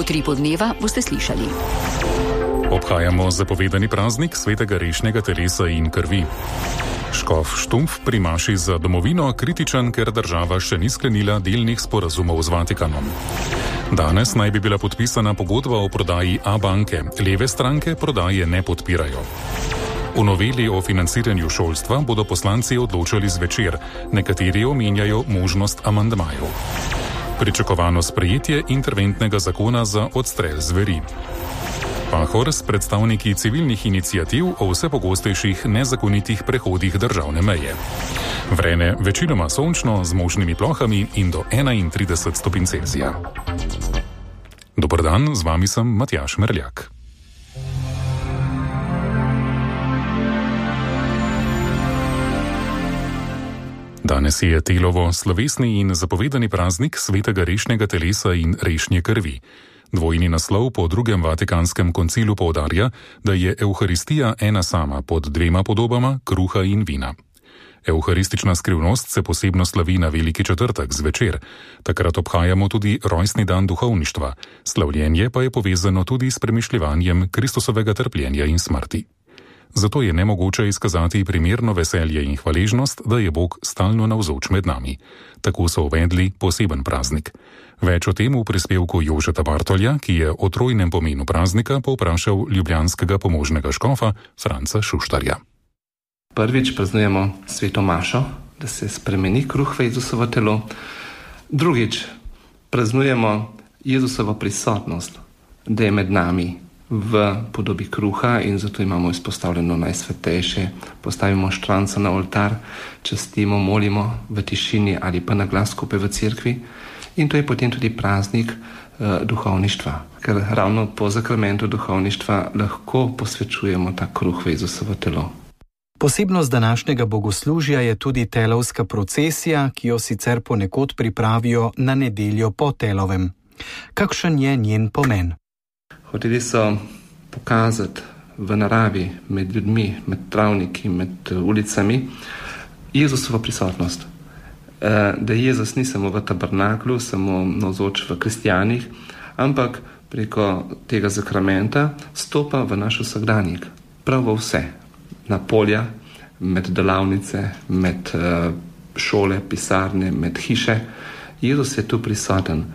V Utripu dneva boste slišali. Obhajamo zapovedani praznik svetega rešnjega telesa in krvi. Škof Štumpf pri maši za domovino kritičen, ker država še ni sklenila delnih sporazumov z Vatikanom. Danes naj bi bila podpisana pogodba o prodaji A-banke, leve stranke prodaje ne podpirajo. V noveli o financiranju šolstva bodo poslanci odločali zvečer, nekateri omenjajo možnost amandmajev. Pričakovano sprejetje interventnega zakona za odstrel zveri. Pahor s predstavniki civilnih iniciativ o vse pogostejših nezakonitih prehodih državne meje. Vreme večinoma sončno z možnimi plohami in do 31 stopinj Celzija. Dober dan, z vami sem Matjaž Merljak. Danes je Telovo slovesni in zapovedani praznik svetega rešnjega telesa in rešnje krvi. Dvojni naslov po drugem Vatikanskem koncilu poudarja, da je Evharistija ena sama pod dvema podobama kruha in vina. Evharistična skrivnost se posebno slavi na Veliki četrtek zvečer. Takrat obhajamo tudi rojstni dan duhovništva. Slavljenje pa je povezano tudi s premišljevanjem Kristusovega trpljenja in smrti. Zato je nemogoče izkazati primerno veselje in hvaležnost, da je Bog stalno navzoč med nami. Tako so uvedli poseben praznik. Več o tem v prispevku Jožeta Bartolja, ki je o trojnem pomenu praznika povprašal ljubljanskega pomožnega škofa Franca Šuštarja. Prvič praznujemo sveto mašo, da se spremeni kruh v Jezusovo telo. Drugič praznujemo Jezusovo prisotnost, da je med nami v podobi kruha in zato imamo izpostavljeno najsvetejše. Postavimo štranco na oltar, častimo, molimo v tišini ali pa na glas skupaj v cerkvi. In to je potem tudi praznik duhovništva, ker ravno po zakramentu duhovništva lahko posvečujemo ta kruh v Jezusovo telo. Posebnost današnjega bogoslužja je tudi telovska procesija, ki jo sicer ponekod pripravijo na nedeljo po telovem. Kakšen je njen pomen? Hoteli so pokazati v naravi, med ljudmi, med travniki, med ulicami Jezusovo prisotnost. Da Jezus ni samo v tabernaklu, samo navzoč v kristjanih, ampak preko tega zakramenta stopa v naš vsakdanjik, prav v vse, na polja, med delavnice, med šole, pisarne, med hiše. Jezus je tu prisoten.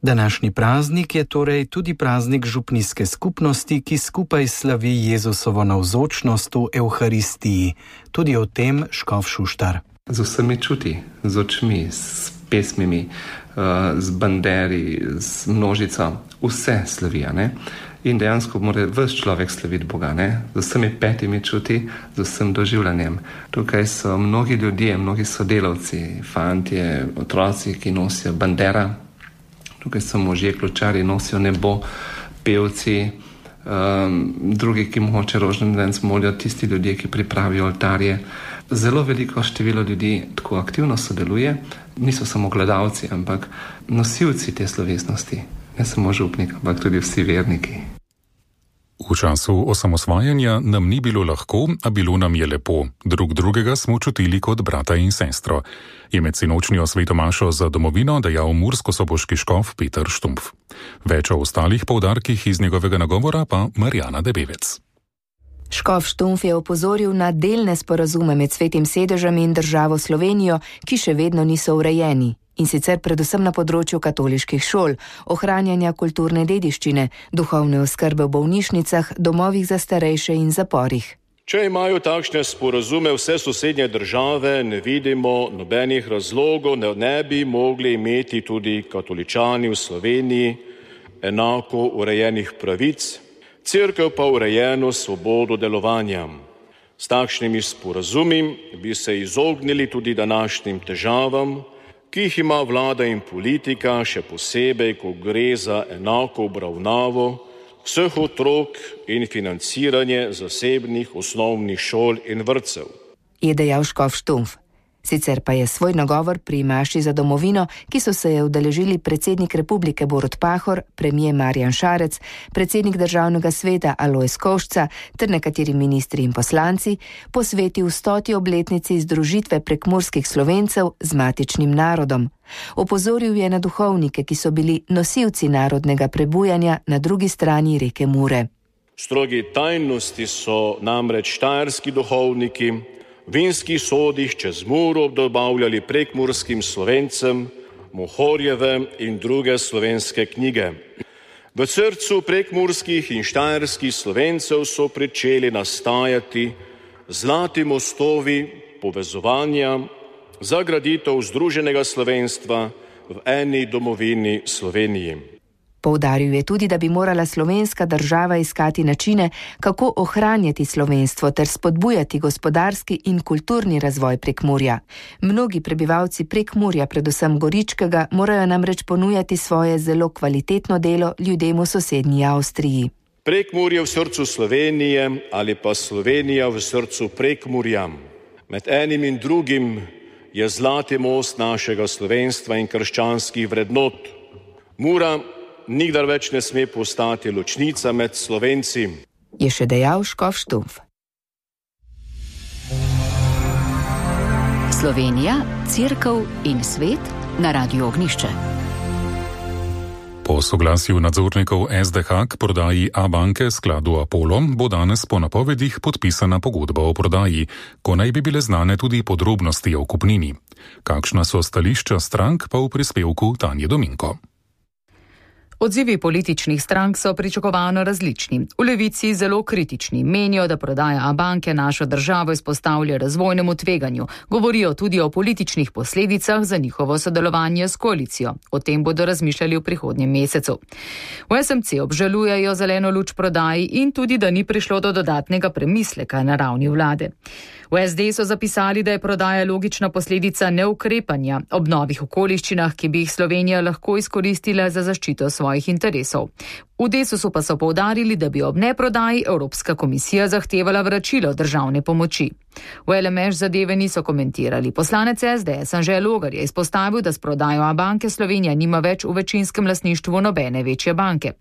Današnji praznik je torej tudi praznik župnijske skupnosti, ki skupaj slavi Jezusovo navzočnost v Evharistiji. Tudi o tem škof Šuštar. Z vsemi čuti, z očmi, s pesmimi, z banderi, z množico, vse slavijo, ne? In dejansko mora ves človek slaviti Boga, ne? Z vsemi petimi čuti, z vsem doživljanjem. Tukaj so mnogi ljudje, mnogi sodelavci, fantje, otroci, ki nosijo bandera. Tukaj so možje, kločari, nosijo nebo, pevci, drugi, ki mogoče rožni dan molijo, tisti ljudje, ki pripravijo oltarje. Zelo veliko število ljudi tako aktivno sodeluje, niso samo gledalci, ampak nosilci te slovesnosti, ne samo župnik, ampak tudi vsi verniki. V času osamosvajanja nam ni bilo lahko, a bilo nam je lepo. Drug drugega smo čutili kot brata in sestro. Je med sinočnjo sveto mašo za domovino dejal murskosoboški škof Peter Štumpf. Več o ostalih poudarkih iz njegovega nagovora pa Marjana Debevec. Škof Štumpf je opozoril na delne sporazume med Svetim sedežem in državo Slovenijo, ki še vedno niso urejeni. In sicer predvsem na področju katoliških šol, ohranjanja kulturne dediščine, duhovne oskrbe v bolnišnicah, domovih za starejše in zaporih. Če imajo takšne sporazume vse sosednje države, ne vidimo nobenih razlogov, ne bi mogli imeti tudi katoličani v Sloveniji enako urejenih pravic, cerkev pa urejeno svobodo delovanja. S takšnimi sporazumi bi se izognili tudi današnjim težavam, ki jih ima vlada in politika, še posebej, ko gre za enako obravnavo vseh otrok in financiranje zasebnih osnovnih šol in vrtcev. Je dejal škof Štumpf. Sicer pa je svoj nagovor pri maši za domovino, ki so se je udeležili predsednik Republike Borut Pahor, premier Marjan Šarec, predsednik Državnega sveta Alojz Košča ter nekateri ministri in poslanci, posvetil 100. obletnici združitve prekmurskih Slovencev z matičnim narodom. Opozoril je na duhovnike, ki so bili nosilci narodnega prebujanja na drugi strani reke Mure. Strogi tajnosti so namreč štajerski duhovniki v vinskih sodih čez Muro dobavljali prekmurskim Slovencem Mohorjeve in druge slovenske knjige. V srcu prekmurskih in štajerskih Slovencev so pričeli nastajati zlati mostovi povezovanja za graditev združenega slovenstva v eni domovini Sloveniji. Poudaril je tudi, da bi morala slovenska država iskati načine, kako ohranjati slovenstvo ter spodbujati gospodarski in kulturni razvoj Prekmurja. Mnogi prebivalci Prekmurja, predvsem Goričkega, morajo namreč ponujati svoje zelo kvalitetno delo ljudem v sosednji Avstriji. Prekmurje v srcu Slovenije ali pa Slovenija v srcu Prekmurja. Med enim in drugim je zlati most našega slovenstva in krščanskih vrednot. Mura nikdar več ne sme postati ločnica med Slovenci. Je še dejal škof Štumpf. Slovenija, Cerkev in svet na Radiu Ognjišče. Po soglasju nadzornikov SDH k prodaji Abanke skladu Apollo bo danes po napovedih podpisana pogodba o prodaji, ko naj bi bile znane tudi podrobnosti o kupnini. Kakšna so stališča strank, pa v prispevku Tanje Dominko. Odzivi političnih strank so pričakovano različni. V Levici zelo kritični, menijo, da prodaja Abanke našo državo izpostavlja razvojnemu tveganju, govorijo tudi o političnih posledicah za njihovo sodelovanje s koalicijo. O tem bodo razmišljali v prihodnjem mesecu. V SMC obžalujejo zeleno luč prodaji in tudi, da ni prišlo do dodatnega premisleka na ravni vlade. V SD so zapisali, da je prodaja logična posledica neukrepanja ob novih okoliščinah, ki bi jih Slovenija lahko izkoristila za zaščito svojih interesov. V Desusu pa so poudarili, da bi ob neprodaji Evropska komisija zahtevala vračilo državne pomoči. V LMŠ zadeve niso komentirali. Poslanec SDS Anže Logar je izpostavil, da s prodajo Abanke Slovenija nima več v večinskem lastništvu nobene večje banke.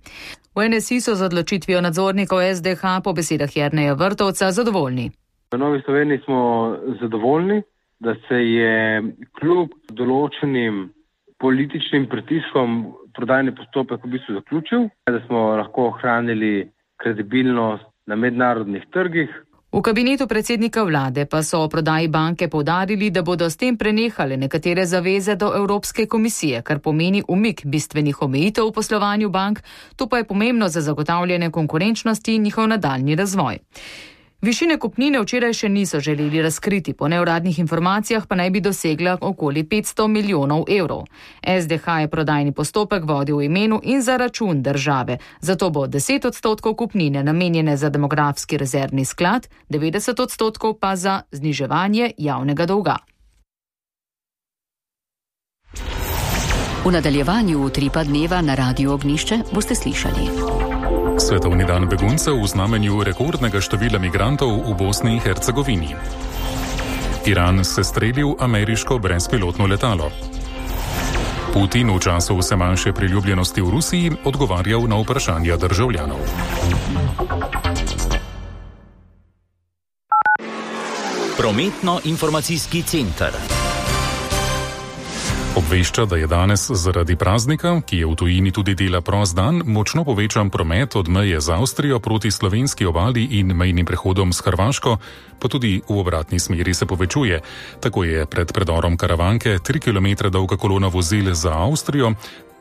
V NSI so z odločitvijo nadzornikov SDH po besedah Jerneja Vrtovca zadovoljni. V Novi Sloveniji smo zadovoljni, da se je kljub določenim političnim pritiskom prodajni postopek v bistvu zaključil, da smo lahko ohranili kredibilnost na mednarodnih trgih. V kabinetu predsednika vlade pa so o prodaji banke poudarili, da bodo s tem prenehale nekatere zaveze do Evropske komisije, kar pomeni umik bistvenih omejitev v poslovanju bank, to pa je pomembno za zagotavljanje konkurenčnosti in njihov nadaljnji razvoj. Višine kupnine včeraj še niso želeli razkriti, po neuradnih informacijah pa naj bi dosegla okoli 500 milijonov evrov. SDH je prodajni postopek vodil v imenu in za račun države, zato bo 10% kupnine namenjene za demografski rezervni sklad, 90% pa za zniževanje javnega dolga. V nadaljevanju utripa dneva na Radiu Ognjišče boste slišali. Svetovni dan beguncev v znamenju rekordnega števila migrantov v Bosni in Hercegovini. Iran se streljil ameriško brezpilotno letalo. Putin v času vse manjše priljubljenosti v Rusiji odgovarjal na vprašanja državljanov. Prometno-informacijski center obvešča, da je danes zaradi praznika, ki je v tujini tudi dela prost dan, močno povečan promet od meje z Avstrijo proti slovenski obali in mejnim prehodom s Hrvaško, pa tudi v obratni smeri se povečuje. Tako je pred predorom Karavanke 3 km dolga kolona vozil za Avstrijo.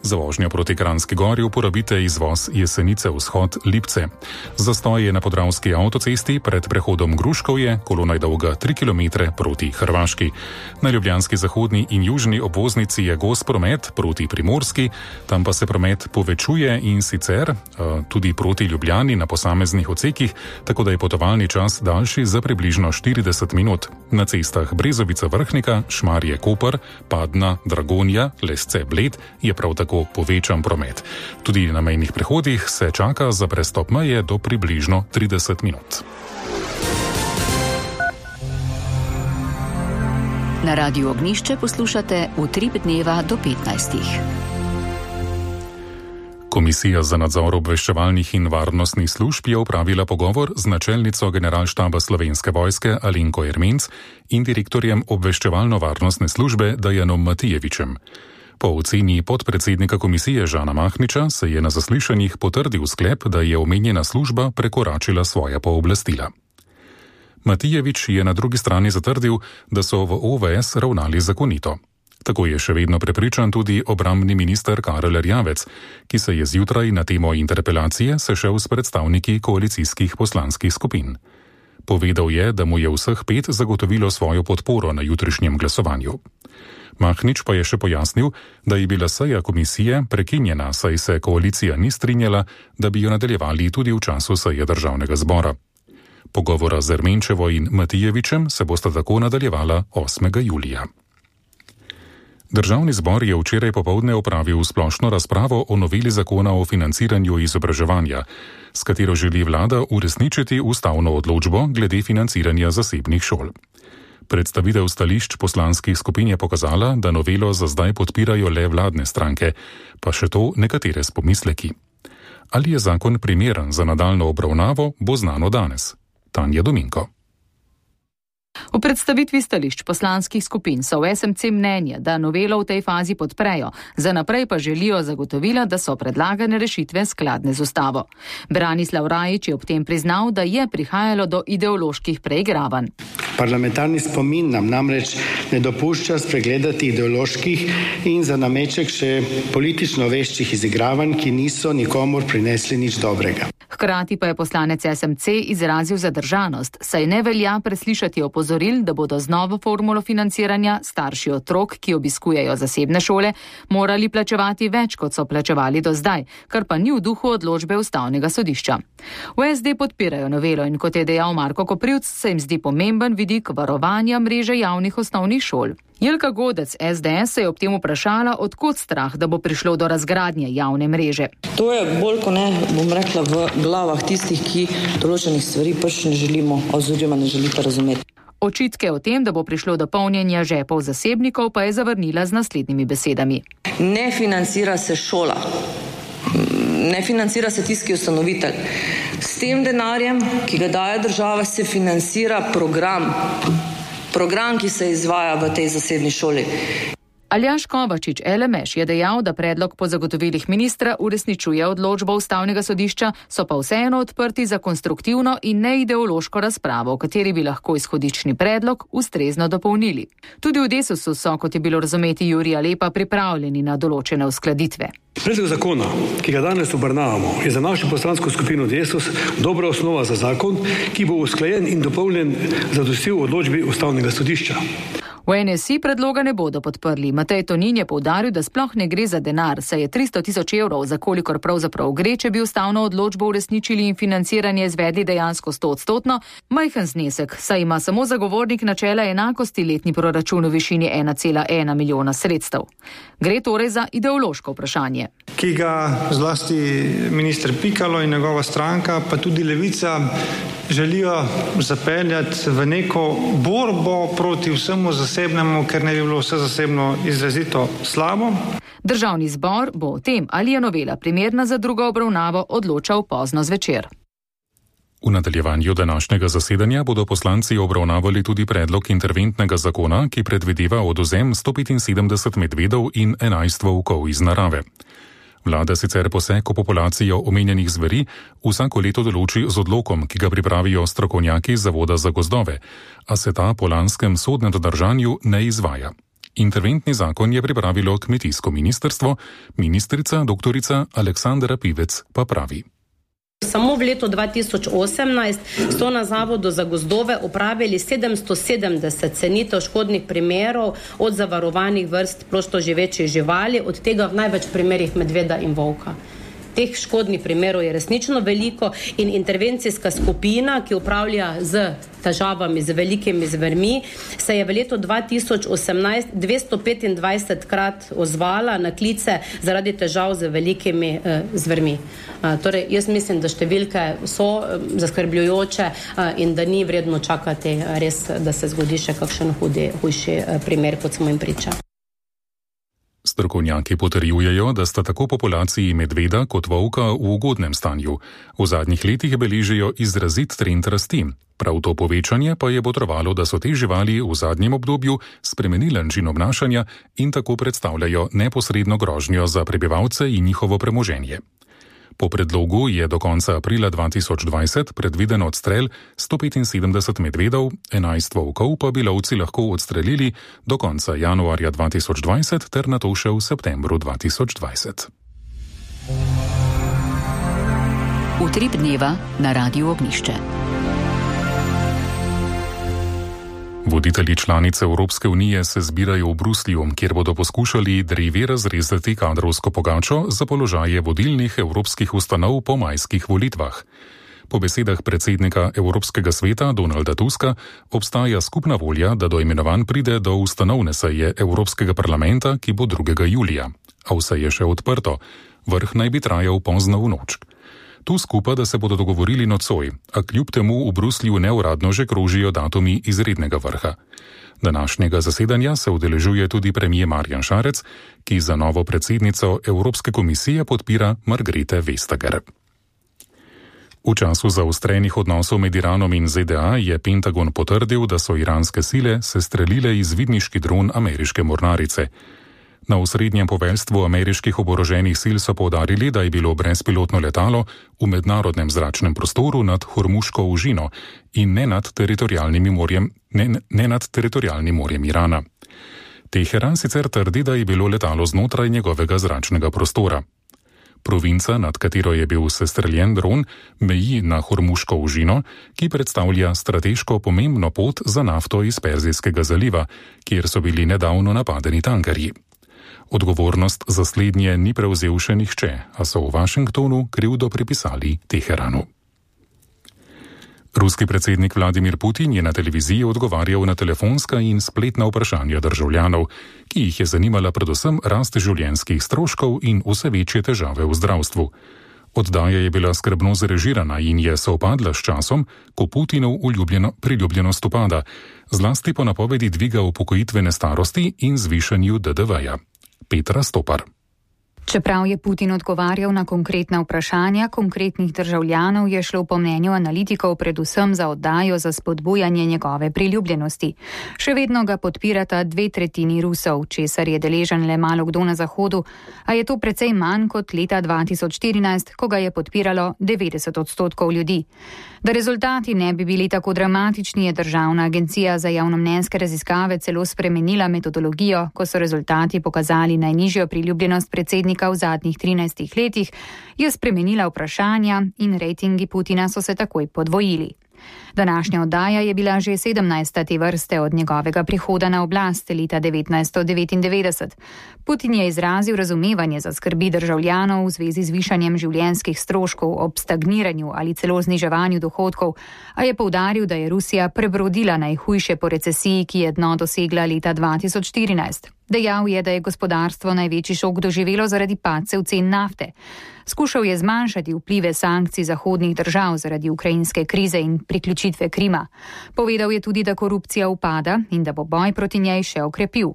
Za vožnjo proti Kranjski Gori uporabite izvoz Jesenice vzhod Lipce. Zastoj je na Podravski avtocesti pred prehodom Gruškovje, kolona je dolga 3 km proti Hrvaški. Na ljubljanski zahodni in južni obvoznici je gost promet proti Primorski, tam pa se promet povečuje in sicer tudi proti Ljubljani na posameznih odsekih, tako da je potovalni čas daljši za približno 40 minut. Na cestah Brezovica Vrhnika, Šmarje Koper, Padna, Dragonja, Lesce Bled je prav tako povečan promet. Tudi na mejnih prehodih se čaka za prestop meje do približno 30 minut. Na Radiu Ognišče poslušate Utrip dneva do 15. Komisija za nadzor obveščevalnih in varnostnih služb je opravila pogovor z načelnico Generalštaba Slovenske vojske Alenko Ermenc in direktorjem obveščevalno-varnostne službe Dajanom Matijevičem. Po oceni podpredsednika komisije Žana Mahniča se je na zaslišanjih potrdil sklep, da je omenjena služba prekoračila svoja pooblastila. Matijevič je na drugi strani zatrdil, da so v OVS ravnali zakonito. Tako je še vedno prepričan tudi obrambni minister Karel Erjavec, ki se je zjutraj na temo interpelacije sešel s predstavniki koalicijskih poslanskih skupin. Povedal je, da mu je vseh 5 zagotovilo svojo podporo na jutrišnjem glasovanju. Mahnič pa je še pojasnil, da je bila seja komisije prekinjena, saj se koalicija ni strinjala, da bi jo nadaljevali tudi v času seje državnega zbora. Pogovora z Ermenčevo in Matijevičem se bosta tako nadaljevala 8. julija. Državni zbor je včeraj popoldne opravil splošno razpravo o noveli zakona o financiranju izobraževanja, s katero želi vlada uresničiti ustavno odločbo glede financiranja zasebnih šol. Predstavitev stališč poslanskih skupin je pokazala, da novelo za zdaj podpirajo le vladne stranke, pa še to nekatere s pomisleki. Ali je zakon primeren za nadaljno obravnavo, bo znano danes. Tanja Dominko. V predstavitvi stališč poslanskih skupin so v SMC mnenje, da novelo v tej fazi podprejo, za naprej pa želijo zagotovila, da so predlagane rešitve skladne z ustavo. Branislav Rajič je ob tem priznal, da je prihajalo do ideoloških preigravanj. Parlamentarni spomin nam namreč ne dopušča spregledati ideoloških in za nameček še politično veščih izigravanj, ki niso nikomur prinesli nič dobrega. Hkrati pa je poslanec SMC izrazil zadržanost, saj ne velja preslišati opozoril, da bodo z novo formulo financiranja starši otrok, ki obiskujejo zasebne šole, morali plačevati več, kot so plačevali do zdaj, kar pa ni v duhu odločbe Ustavnega sodišča. V SD podpirajo novelo in kot je dejal Marko Koprivc, se jim zdi pomemben vidik varovanja mreže javnih osnovnih šol. Jelka Godec SDS se je ob tem vprašala, odkot strah, da bo prišlo do razgradnje javne mreže. To je bolj kot ne, bom rekla, v glavah tistih, ki določenih stvari pač ne želimo oziroma ne želite razumeti. Očitke o tem, da bo prišlo do polnjenja žepov zasebnikov, pa je zavrnila z naslednjimi besedami. Ne financira se šola. Ne financira se tisti ustanovitelj. S tem denarjem, ki ga daje država, se financira program, ki se izvaja v tej zasebni šoli. Aljaž Kovačič LMŠ je dejal, da predlog po zagotovilih ministra uresničuje odločbo Ustavnega sodišča, so pa vseeno odprti za konstruktivno in neideološko razpravo, v kateri bi lahko izhodični predlog ustrezno dopolnili. Tudi v Desusu so, kot je bilo razumeti Jurija Lepa, pripravljeni na določene uskladitve. Predlog zakona, ki ga danes obravnavamo, je za našo poslansko skupino Desus dobra osnova za zakon, ki bo usklajen in dopolnjen zadostil odločbi Ustavnega sodišča. V NSI predloga ne bodo podprli. Matej Tonin je poudaril, da sploh ne gre za denar, saj je 300 tisoč evrov, za kolikor pravzaprav gre, če bi ustavno odločbo uresničili in financiranje izvedli dejansko 100-odstotno, majhen znesek, saj ima samo zagovornik načela enakosti letni proračun v višini 1,1 milijona sredstev. Gre torej za ideološko vprašanje. Ki ga zlasti minister Pikalo in njegova stranka, pa tudi Levica, želijo zapeljati v neko borbo proti vsemu zasebnemu, ker ne bi bilo vse zasebno izrazito slabo. Državni zbor bo o tem, ali je novela primerna za drugo obravnavo, odločal pozno zvečer. V nadaljevanju današnjega zasedanja bodo poslanci obravnavali tudi predlog interventnega zakona, ki predvideva odvzem 175 medvedov in 11 volkov iz narave. Vlada sicer poseg v populacijo omenjenih zveri vsako leto določi z odlokom, ki ga pripravijo strokovnjaki Zavoda za gozdove, a se ta po lanskem sodnem dodržanju ne izvaja. Interventni zakon je pripravilo kmetijsko ministrstvo, ministrica dr. Aleksandra Pivec pa pravi. Samo v letu 2018 so na Zavodu za gozdove opravili 770 cenitev škodnih primerov od zavarovanih vrst prostoživečih živali, od tega v največ primerih medveda in volka. teh škodnih primerov je resnično veliko in intervencijska skupina, ki upravlja z težavami, z velikimi zvermi, se je v letu 2018 225 krat ozvala na klice zaradi težav z velikimi zvermi. Torej, jaz mislim, da številke so zaskrbljujoče in da ni vredno čakati res, da se zgodi še kakšen hujši primer, kot smo jim priča. Strokovnjaki potrjujejo, da sta tako populaciji medveda kot volka v ugodnem stanju. V zadnjih letih beležijo izrazit trend rasti. Prav to povečanje pa je botrovalo, da so te živali v zadnjem obdobju spremenile način obnašanja in tako predstavljajo neposredno grožnjo za prebivalce in njihovo premoženje. Po predlogu je do konca aprila 2020 predviden odstrel 175 medvedov, 11 volkov pa bi lovci lahko odstrelili do konca januarja 2020 ter nato še v septembru 2020. Utrip dneva na Radiu Ognjišče. Voditelji članice Evropske unije se zbirajo v Bruslju, kjer bodo poskušali drevi razrezati kadrovsko pogačo za položaje vodilnih evropskih ustanov po majskih volitvah. Po besedah predsednika Evropskega sveta Donalda Tuska obstaja skupna volja, da do imenovanj pride do ustanovne seje Evropskega parlamenta, ki bo 2. julija. A vse je še odprto. Vrh naj bi trajal pozno v noč. Tusk upa, da se bodo dogovorili nocoj, a kljub temu v Bruslju neuradno že krožijo datumi izrednega vrha. Današnjega zasedanja se udeležuje tudi premier Marjan Šarec, ki za novo predsednico Evropske komisije podpira Margrethe Vestager. V času zaostrenih odnosov med Iranom in ZDA je Pentagon potrdil, da so iranske sile sestrelile izvidniški dron ameriške mornarice. Na osrednjem poveljstvu ameriških oboroženih sil so poudarili, da je bilo brezpilotno letalo v mednarodnem zračnem prostoru nad Hormuško ožino in ne nad teritorialnim morjem Irana. Teheran sicer trdi, da je bilo letalo znotraj njegovega zračnega prostora. Provinca, nad katero je bil sestreljen dron, meji na Hormuško ožino, ki predstavlja strateško pomembno pot za nafto iz Perzijskega zaliva, kjer so bili nedavno napadeni tankerji. Odgovornost za slednje ni prevzel še nihče, a so v Washingtonu krivdo pripisali Teheranu. Ruski predsednik Vladimir Putin je na televiziji odgovarjal na telefonska in spletna vprašanja državljanov, ki jih je zanimala predvsem rast življenjskih stroškov in vse večje težave v zdravstvu. Oddaja je bila skrbno zrežirana in je sovpadla s časom, ko Putinov priljubljenost upada, zlasti po napovedi dviga upokojitvene starosti in zvišanju DDV-ja. Petra Stopar. Čeprav je Putin odgovarjal na konkretna vprašanja konkretnih državljanov, je šlo po mnenju analitikov predvsem za oddajo za spodbujanje njegove priljubljenosti. Še vedno ga podpirata 2/3 Rusov, česar je deležen le malo kdo na Zahodu, a je to precej manj kot leta 2014, ko ga je podpiralo 90% ljudi. Da rezultati ne bi bili tako dramatični, je Državna agencija za javnomnenjske raziskave celo spremenila metodologijo, ko so rezultati pokazali najnižjo priljubljenost predsednika v zadnjih 13 letih, je spremenila vprašanja in rejtingi Putina so se takoj podvojili. Današnja oddaja je bila že 17. te vrste od njegovega prihoda na oblast leta 1999. Putin je izrazil razumevanje za skrbi državljanov v zvezi z višanjem življenjskih stroškov ob stagniranju ali celo zniževanju dohodkov, a je poudaril, da je Rusija prebrodila najhujše po recesiji, ki je dno dosegla leta 2014. Dejal je, da je gospodarstvo največji šok doživelo zaradi padcev cen nafte. Skušal je zmanjšati vplive sankcij zahodnih držav zaradi ukrajinske krize in priključitve Krima. Povedal je tudi, da korupcija upada in da bo boj proti njej še okrepil.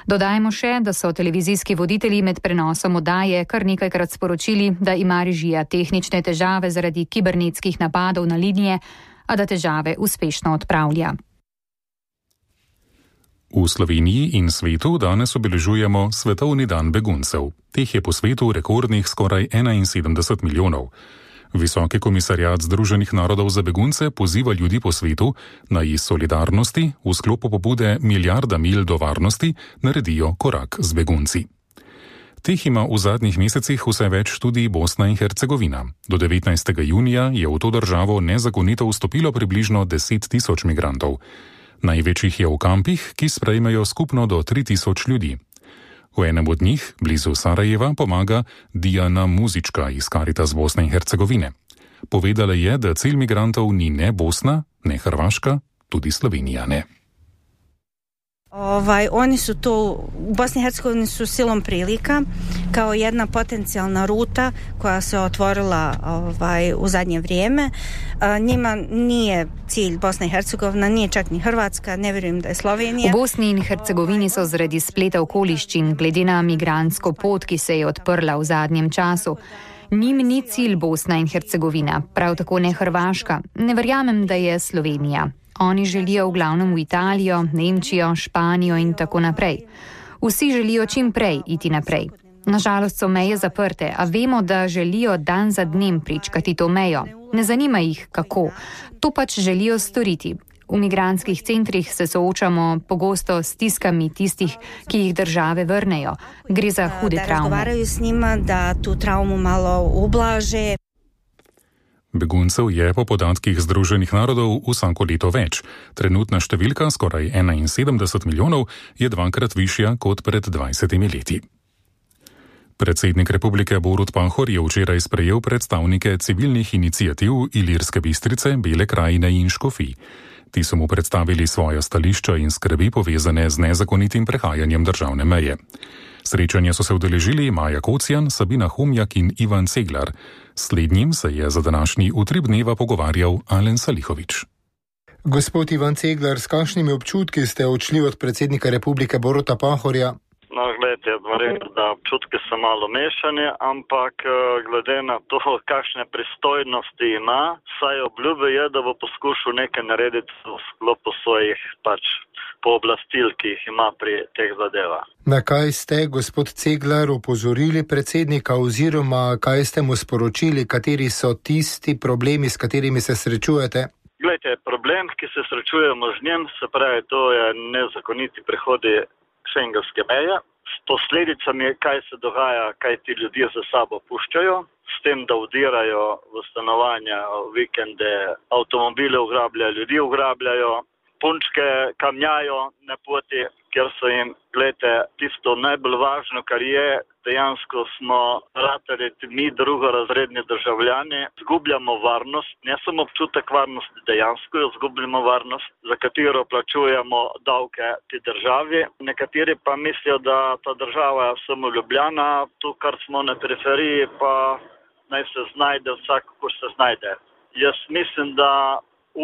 Dodajmo še, da so televizijski voditelji med prenosom oddaje kar nekajkrat sporočili, da ima režija tehnične težave zaradi kibernetskih napadov na linije, a da težave uspešno odpravlja. V Sloveniji in svetu danes obeležujemo Svetovni dan beguncev. Teh je po svetu rekordnih skoraj 71 milijonov. Visoki komisariat Združenih narodov za begunce poziva ljudi po svetu, naj iz solidarnosti v sklopu pobude Milijarda milj do varnosti naredijo korak z begunci. Teh ima v zadnjih mesecih vse več tudi Bosna in Hercegovina. Do 19. junija je v to državo nezakonito vstopilo približno 10 tisoč migrantov. Največjih je v kampih, ki sprejmejo skupno do 3 tisoč ljudi. V enem od njih, blizu Sarajeva, pomaga Dijana Muzička iz Caritas Bosne in Hercegovine. Povedala je, da cilj migrantov ni ne Bosna, ne Hrvaška, tudi Slovenija ne. Oni su tu, u Bosni i Hercegovini su silom prilika kao jedna potencijalna ruta koja se otvorila u zadnje vrijeme. Njima nije cilj Bosna i Hercegovina, nije čak ni Hrvatska, ne vjerujem da je Slovenija. V Bosni in Hercegovini so zaradi spleta okoliščin glede na migrantsko pot, ki se je odprla v zadnjem času. Njim ni cilj Bosna in Hercegovina, prav tako ne Hrvaška. Ne verjamem, da je Slovenija. Oni želijo v glavnem v Italijo, Nemčijo, Španijo in tako naprej. Vsi želijo čim prej iti naprej. Nažalost so meje zaprte, a vemo, da želijo dan za dnem pričkati to mejo. Ne zanima jih, kako. To pač želijo storiti. V migrantskih centrih se soočamo pogosto s stiskami tistih, ki jih države vrnejo. Gre za hude travme. Da razgovaraju s njima, da tu travmu malo ublaže. Beguncev je po podatkih Združenih narodov vsako leto več. Trenutna številka, skoraj 71 milijonov, je dvakrat višja kot pred 20 leti. Predsednik republike Borut Pahor je včeraj sprejel predstavnike civilnih iniciativ Ilirske Bistrice, Bele krajine in Škofij. Ti so mu predstavili svoja stališča in skrbi povezane z nezakonitim prehajanjem državne meje. Srečanja so se udeležili Maja Kocijan, Sabina Humjak in Ivan Ceglar. Slednjim se je za današnji utrip dneva pogovarjal Alen Salihovič. Gospod Ivan Ceglar, s kakšnimi občutki ste odšli od predsednika republike Boruta Pahorja? No, gledajte, verjetno, da občutki so malo mešani, ampak glede na to, kakšne pristojnosti ima, saj obljubi je, da bo poskušal nekaj narediti v sklopu svojih pooblastil, ki jih ima pri teh zadevah. Na kaj ste, gospod Ceglar, opozorili predsednika oziroma kaj ste mu sporočili, kateri so tisti problemi, s katerimi se srečujete? Glejte, problem, ki se srečujemo z njim, se pravi, to je nezakoniti prehodi šengenske meje, s posledicami, kaj se dogaja, kaj ti ljudje za sabo puščajo, s tem, da vdirajo v stanovanja, v vikende, avtomobile ugrabljajo, ljudi ugrabljajo, punčke kamnjajo na poti, ker so jim, gledajte, tisto najbolj važno, kar je, dejansko smo ratali mi drugorazredni državljani, zgubljamo varnost, ne samo občutek varnosti, dejansko jo zgubljamo varnost, za katero plačujemo davke ti državi. Nekateri pa mislijo, da ta država je samo ljubljana, tu kar smo na periferiji, pa naj se znajde vsak, ko se znajde. Jaz mislim, da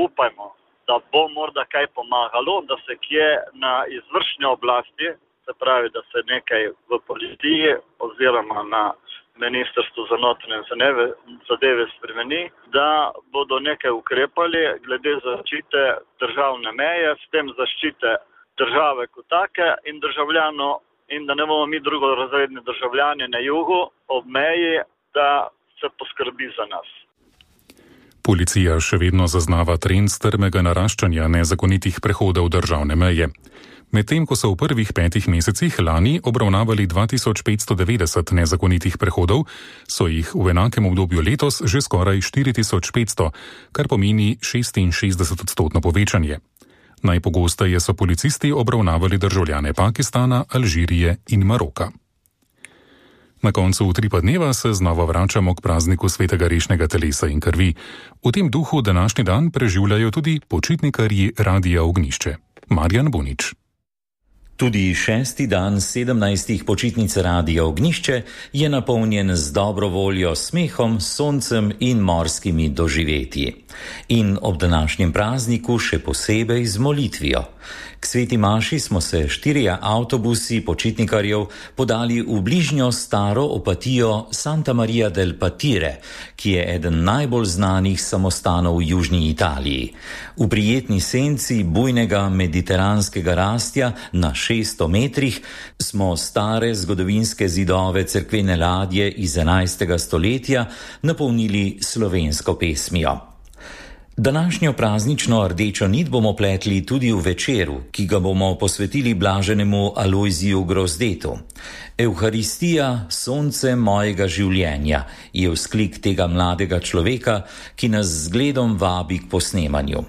upajmo, da bo morda kaj pomagalo, da se kje na izvršni oblasti, se pravi, da se nekaj v policiji oziroma na Ministrstvu za notranje zadeve spremeni, da bodo nekaj ukrepali glede zaščite državne meje, s tem zaščite države kot take in državljanov, in da ne bomo mi drugorazredni državljani na jugu ob meji, da se poskrbi za nas. Policija še vedno zaznava trend strmega naraščanja nezakonitih prehodov državne meje. Medtem ko so v prvih 5 mesecih lani obravnavali 2590 nezakonitih prehodov, so jih v enakem obdobju letos že skoraj 4500, kar pomeni 66% povečanje. Najpogosteje so policisti obravnavali državljane Pakistana, Alžirije in Maroka. Na koncu utripa dneva se znova vračamo k prazniku svetega rešnega telesa in krvi. V tem duhu današnji dan preživljajo tudi počitnikarji Radia Ognjišče. Marjan Bunič. Tudi 6. dan 17. počitnic Radia Ognjišče je napolnjen z dobro voljo, smehom, soncem in morskimi doživetji. In ob današnjem prazniku še posebej z molitvijo. K sveti maši smo se 4 avtobusi počitnikarjev podali v bližnjo staro opatijo Santa Maria del Patire, ki je eden najbolj znanih samostanov v južni Italiji. V prijetni senci bujnega mediteranskega rastja na 600 metrih smo stare zgodovinske zidove cerkvene ladje iz 11. stoletja napolnili slovensko pesmijo. Današnjo praznično rdečo nit bomo pletli tudi v večeru, ki ga bomo posvetili blaženemu Alojziju Grozdetu. Evharistija, sonce mojega življenja, je vzklik tega mladega človeka, ki nas z zgledom vabi k posnemanju.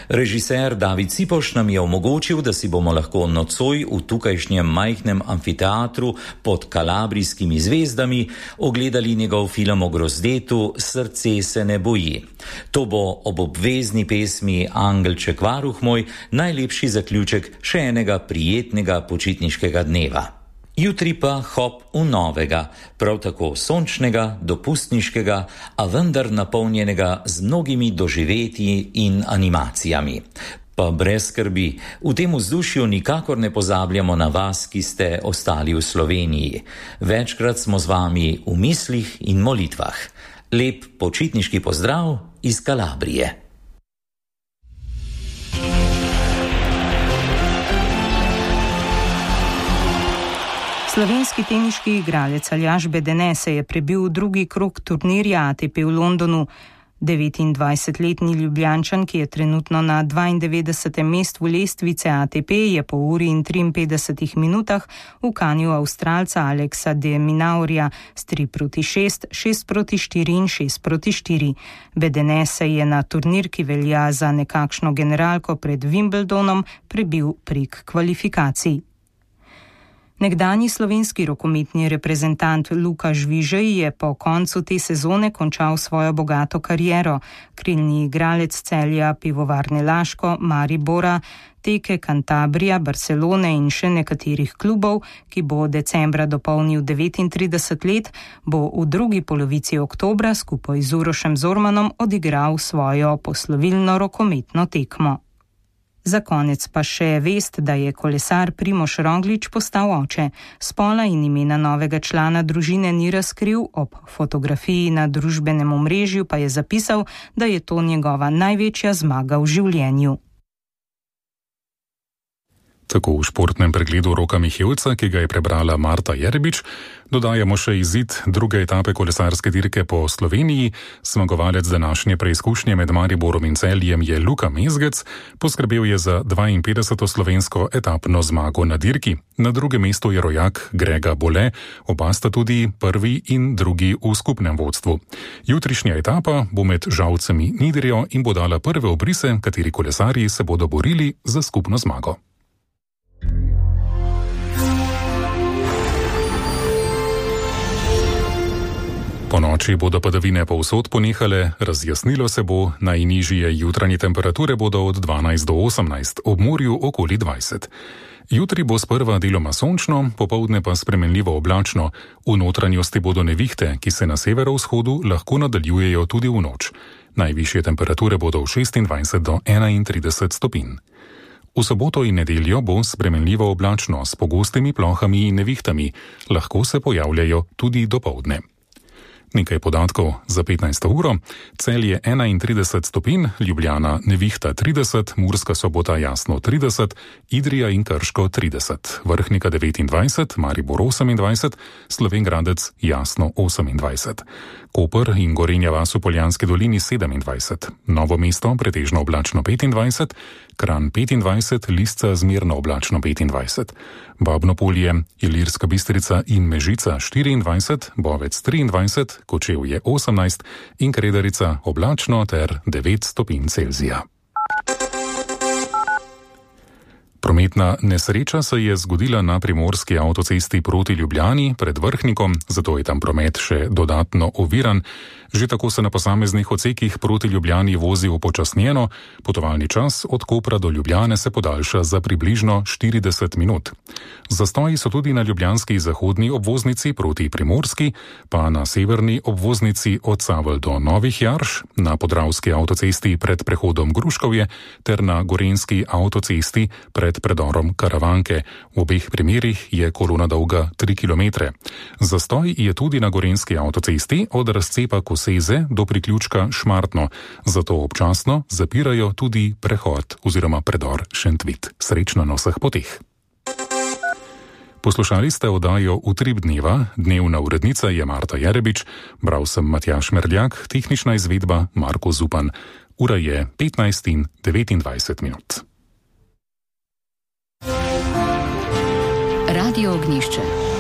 Režiser David Cipoš nam je omogočil, da si bomo lahko nocoj v tukajšnjem majhnem amfiteatru pod kalabrijskimi zvezdami ogledali njegov film o grozdetu Srce se ne boji. To bo ob obvezni pesmi Angelček varuh moj najlepši zaključek še enega prijetnega počitniškega dneva. Jutri pa hop v novega, prav tako sončnega, dopustniškega, a vendar napolnjenega z mnogimi doživetji in animacijami. Pa brez skrbi, v tem vzdušju nikakor ne pozabljamo na vas, ki ste ostali v Sloveniji. Večkrat smo z vami v mislih in molitvah. Lep počitniški pozdrav iz Kalabrije. Slovenski teniški igralec Aljaž Bedene se je prebil v drugi krog turnirja ATP v Londonu. 29-letni Ljubljančan, ki je trenutno na 92. mestu lestvice ATP, je po uri in 53 minutah ukanil Avstralca Aleksa de Minaurja s 3-6, 6-4 in 6-4. Bedene se je na turnir, ki velja za nekakšno generalko pred Wimbledonom, prebil prek kvalifikacij. Nekdanji slovenski rokometni reprezentant Luka Žvižej je po koncu te sezone končal svojo bogato kariero. Krilni igralec Celja, Pivovarne Laško, Maribora, Teke Cantabria, Barcelone in še nekaterih klubov, ki bo decembra dopolnil 39 let, bo v drugi polovici oktobra skupaj z Urošem Zormanom odigral svojo poslovilno rokometno tekmo. Za konec pa še vest, da je kolesar Primož Roglič postal oče. Spola in imena novega člana družine ni razkril, ob fotografiji na družbenem omrežju pa je zapisal, da je to njegova največja zmaga v življenju. Tako v športnem pregledu Roka Mihevca, ki ga je prebrala Marta Jerebič, dodajamo še izid druge etape kolesarske dirke po Sloveniji. Zmagovalec današnje preizkušnje med Mariborom in Celjem je Luka Mezgec, poskrbel je za 52. slovensko etapno zmago na dirki. Na drugem mestu je rojak Grega Bole, oba sta tudi prvi in drugi v skupnem vodstvu. Jutrišnja etapa bo med Žalcem in Idrijo in bo dala prve obrise, kateri kolesarji se bodo borili za skupno zmago. Po noči bodo padavine povsod ponehale, razjasnilo se bo, najnižje jutranje temperature bodo od 12 do 18, ob morju okoli 20. Jutri bo sprva deloma sončno, popoldne pa spremenljivo oblačno, v notranjosti bodo nevihte, ki se na severovzhodu lahko nadaljujejo tudi v noč. Najvišje temperature bodo od 26 do 31 stopinj. V soboto in nedeljo bo spremenljivo oblačno s pogostimi plohami in nevihtami, lahko se pojavljajo tudi dopoldne. Nekaj podatkov za 15. uro. Celje 31 stopinj, Ljubljana nevihta 30, Murska Sobota jasno 30, Idrija in Krško 30, Vrhnika 29, Maribor 28, Slovenj Gradec jasno 28, Koper in Gorenja vas v Poljanski dolini 27, Novo mesto pretežno oblačno 25, Kranj 25, Lisca zmerno oblačno 25, Babno Polje, Ilirska Bistrica in Mežica 24, Bovec 23, Kočevje 18 in Kredarica oblačno ter 9 stopinj Celzija. Prometna nesreča se je zgodila na primorski avtocesti proti Ljubljani pred Vrhnikom, zato je tam promet še dodatno oviran. Že tako se na posameznih odsekih proti Ljubljani vozi upočasnjeno, potovalni čas od Kopra do Ljubljane se podaljša za približno 40 minut. Zastoji so tudi na ljubljanski zahodni obvoznici proti Primorski, pa na severni obvoznici od Savelj do Novih Jarš, na podravski avtocesti pred prehodom Gruškovje ter na gorenjski avtocesti pred predorom Karavanke. V obeh primerih je kolona dolga 3 km. Zastoj je tudi na gorenjski avtocesti od razcepa Koseze do priključka Šmartno, zato občasno zapirajo tudi prehod oziroma predor Šentvit. Srečno na vseh poteh. Poslušali ste oddajo Utrip dneva, dnevna urednica je Marta Jerebič, bral sem Matjaž Merljak, tehnična izvedba Marko Zupan. Ura je 15:29 minut. Radio Ognišče.